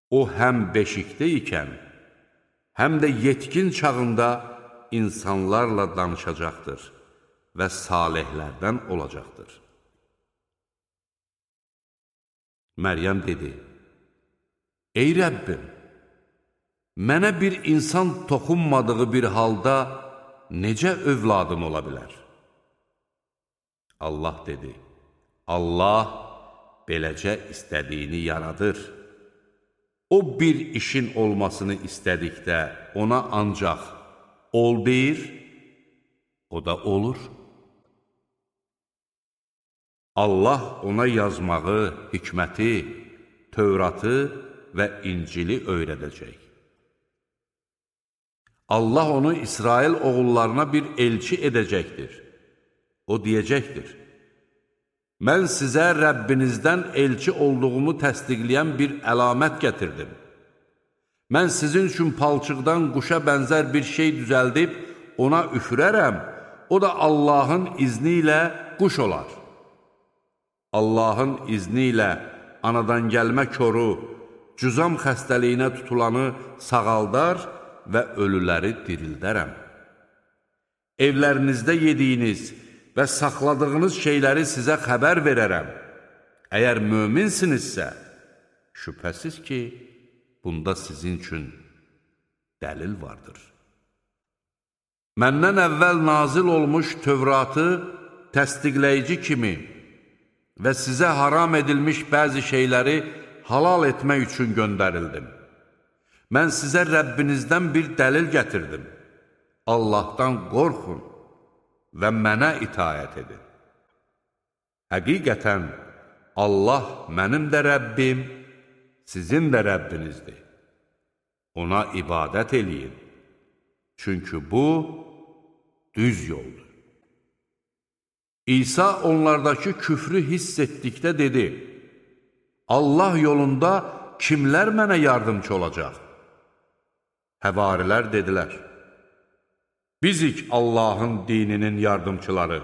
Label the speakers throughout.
Speaker 1: O həm beşikdə ikən, həm də yetkin çağında insanlarla danışacaqdır və salihlərdən olacaqdır. Məryəm dedi, ey Rəbbim, mənə bir insan toxunmadığı bir halda necə övladım ola bilər? Allah dedi, Allah beləcə istədiyini yaradır. O bir işin olmasını istədikdə ona ancaq ol deyir, o da olur. Allah ona yazmağı, hikməti, Tövratı və İncili öyrədəcək. Allah onu İsrail oğullarına bir elçi edəcəkdir. O deyəcəkdir, mən sizə Rəbbinizdən elçi olduğumu təsdiqləyən bir əlamət gətirdim. Mən sizin üçün palçıqdan quşa bənzər bir şey düzəldib, ona üfürərəm, o da Allahın izni ilə quş olar. Allahın izni ilə anadan gəlmə koru, cüzam xəstəliyinə tutulanı sağaldar və ölüləri dirildərəm. Evlərinizdə yediyiniz və saxladığınız şeyləri sizə xəbər verərəm. Əgər möminsinizsə, şübhəsiz ki, bunda sizin üçün dəlil vardır. Məndən əvvəl nazil olmuş Tövratı təsdiqləyici kimi və sizə haram edilmiş bəzi şeyləri halal etmək üçün göndərildim. Mən sizə Rəbbinizdən bir dəlil gətirdim. Allahdan qorxun və mənə itaət edin. Həqiqətən, Allah mənim də Rəbbim, sizin də Rəbbinizdir. Ona ibadət eləyin. Çünki bu, düz yoldur. İsa onlardakı küfrü hiss etdikdə dedi, Allah yolunda kimlər mənə yardımcı olacaq? Həvarilər dedilər, bizik Allahın dininin yardımçıları,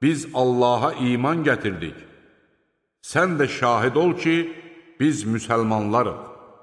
Speaker 1: biz Allaha iman gətirdik. Sən də şahid ol ki, biz müsəlmanlarıq.